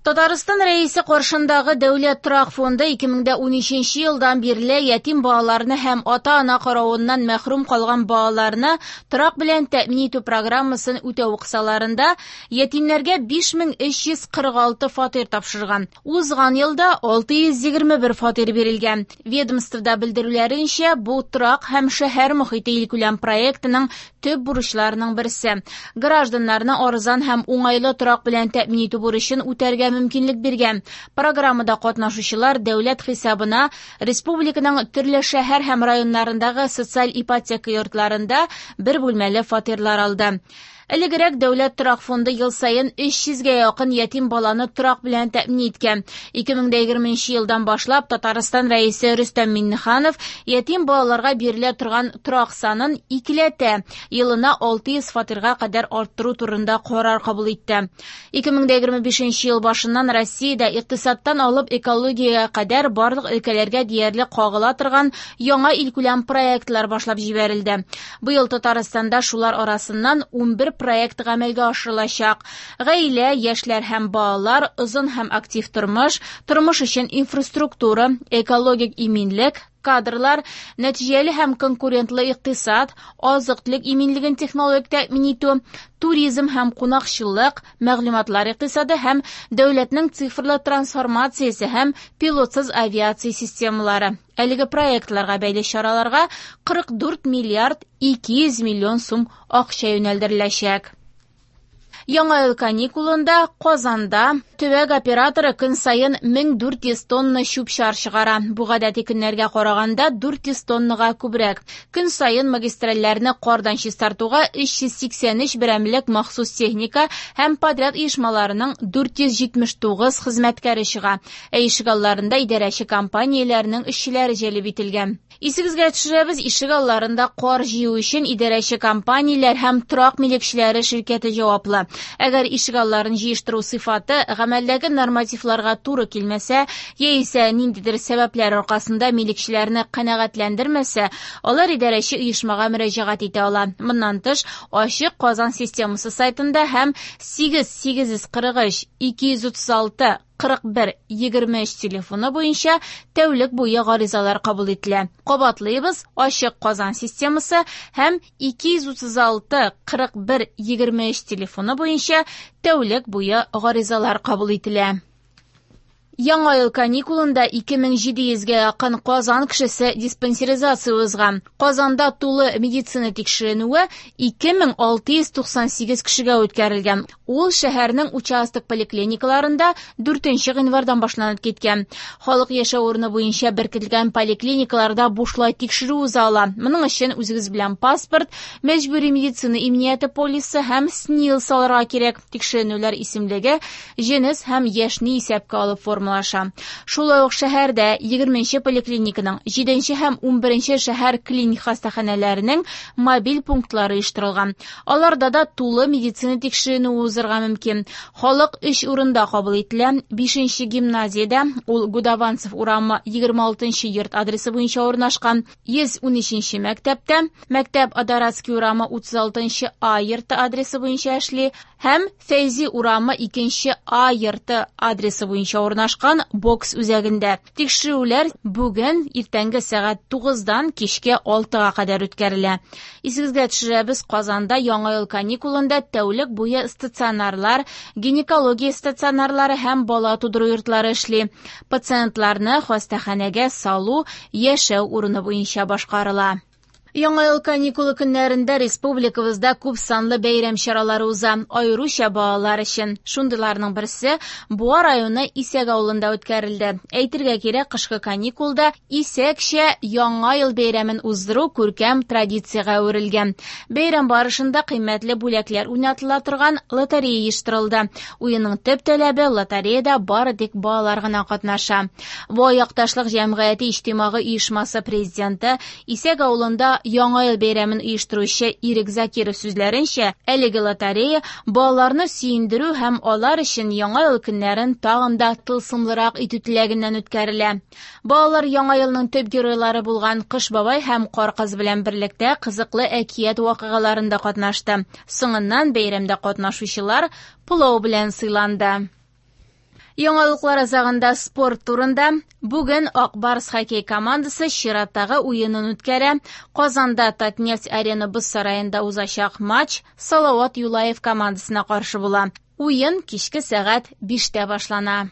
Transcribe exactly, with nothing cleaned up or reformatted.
Татарстан Рәисе каршындагы Дәүләт торак фонды ике мең дә унөченче елдан бирле ятим балаларны һәм ата-ана каравыннан мәхрүм калган балаларны торак белән тәэмин итү программасын үтәү кысаларында ятимнәргә биш мең өч йөз кырык алты фатир тапшырган. Узган елда алты йөз егерме бер фатир бирелгән. Ведомствода белдерүләренчә, бу торак һәм шәһәр мохите илкүләм проектының төп бурычларының берсе. Гражданнарны арзан һәм уңайлы торак белән тәэмин итү бурычын үтәргә мөмкинлек биргән. Программада катнашучылар дәүләт хисабына республиканың төрле шәһәр һәм районнарындагы социаль ипотека йортларында бер бүлмәле фатирлар алды. Элегрәк Дәүләт торак фонды ел саен өч йөзгә якын ятим баланы торак белән тәэмин иткән. Ике мең дә егерменче елдан башлап Татарстан Рәисе Рөстәм Миңнеханов ятим балаларга бирелә торган торак санын икеләтә, елына алты йөз фатирга кадәр арттыру турында карар кабул итте. Ике мең дә егерме бишенче ел башыннан Россиядә икътисадтан алып экологиягә кадәр барлык өлкәләргә диярлек кагыла торган яңа илкүләм проектлар башлап җибәрелде. Быел Татарстанда шулар арасыннан унбер проект гамәлгә ашырылачак. Гаилә, яшьләр һәм балалар, озын һәм актив тормыш, тормыш өчен инфраструктура, экологик иминлек, кадрлар, нәтиҗәле һәм конкурентлы икътисад, азык-төлек иминлеген технологик тәэмин итү, туризм һәм кунакчыллык, мәгълүматлар икътисады һәм дәүләтнең цифрлы трансформациясе һәм пилотсыз авиация системалары. Әлеге проектларга бәйле чараларга кырык дүрт миллиард ике йөз миллион сум акча юнәлдереләчәк. Яңа ел каникулында Казанда төбәк операторы көн саен мең дүрт йөз тонна чүп-чар чыгара. Бу гадәти көннәргә караганда дүрт йөз тоннага күбрәк. Көн саен магистральләрне кардан чистартуга өч йөз сиксән өч берәмлек махсус техника һәм подряд оешмаларының дүрт йөз җитмеш тугыз хезмәткәре чыга. Ә ишегалларында идарәче компанияләрнең эшчеләре җәлеп ителгән. Исегезгә төшерәбез, ишегалларында кар җыю өчен идарәче компанияләр һәм торак милекчеләре ширкәте җаваплы. Әгәр ишегалларын җыештыру сыйфаты гамәлдәге нормативларга туры килмәсә, яисә ниндидер сәбәпләр аркасында милекчеләрне канәгатьләндермәсә, алар идарәче оешмага мөрәҗәгать итә ала. Моннан тыш, Ачык Казан системасы сайтында һәм сигез сигез йөз кырык өч ике йөз утыз алты кырык бер егерме өч телефоны буенча тәүлек буе гаризалар кабул ителә. Кабатлыйбыз, Ачык Казан системасы һәм ике йөз утыз алты кырык бер егерме өч телефоны буенча тәүлек буе гаризалар кабул ителә. Яңа ел каникулында ике мең җиде йөзгә якын Казан кешесе диспансеризация узган. Казанда тулы медицина тикшеренүе ике мең алты йөз туксан сигез кешегә үткәрелгән. Ул шәһәрнең участок поликлиникаларында дүртенче гыйнвардан башланып киткән. Халык яшәү урыны буенча беркетелгән поликлиникаларда бушлай тикшерү уза ала. Моның өчен үзегез белән паспорт, мәҗбүри медицина иминияте полисы һәм СНИЛС алырга кирәк. Тикшеренүләр исемлеге җенес һәм яшьне исәпкә алып формалаша. Шулай ук шәһәрдә егерменче поликлиниканың җиденче һәм унберенче шәһәр клиник хастаханәләренең мобиль пунктлары оештырылган. Аларда да тулы медицина тикшеренүе узырга мөмкин. Халык өч урында кабул ителә. Бишенче гимназиядә, ул Гудованцев урамы егерме алтынчы йорт адресы буенча урнашкан. Йөз унөченче мәктәптә, мәктәп Адоратский урамы утыз алтынчы А йорты адресы буенча эшли һәм Фәйзи урамы икенче А йорты адресы буенча урнашкан бокс үзәгендә. Тикшерүләр бүген иртәнге сәгать тугыздан кичке алтыга кадәр үткәрелә. Исегезгә төшерәбез, Казанда яңа ел каникулында тәүлек буе стационарлар, гинекология стационарлары һәм бала тудыру йортлары эшли. Пациентларны хастаханәгә салу яшәү урыны буенча башкарыла. Яңа ел каникулы көннәрендә республикабызда күп санлы бәйрәм чаралары уза, аеруча балалар өчен. Шундыйларның берсе Буа районы Исәк авылында үткәрелде. Әйтергә кирәк, кышкы каникулда Исәкчә Яңа ел бәйрәмен уздыру күркәм традициягә әверелгән. Бәйрәм барышында кыйммәтле бүләкләр уйнатыла торган лотерея оештырылды. Уенның төп таләбе лотереяда бары тик балалар гына катнаша. Буа якташлык җәмгыяте иҗтимагый оешмасы президенты Исәк авылында Яңа ел бәйрәмен оештыручы Ирек Закиров сүзләренчә, әлеге лотерея балаларны сөендерү һәм алар өчен Яңа ел көннәрен тагын да тылсымлырак итү теләгеннән үткәрелә. Балалар Яңа елның төп геройлары булган Кыш бабай һәм Кар кыз белән берлектә кызыклы әкият вакыйгаларында катнашты. Соңыннан бәйрәмдә катнашучылар пылау белән сыйланды. Яңалыклар азагында спорт турында. Бүген Ак Барс хоккей командасы чираттагы уенын үткәрә. Казанда Татнефть Арена боз сараенда узачак матч Салават Юлаев командасына каршы була. Уен кичке сәгать биштә башлана.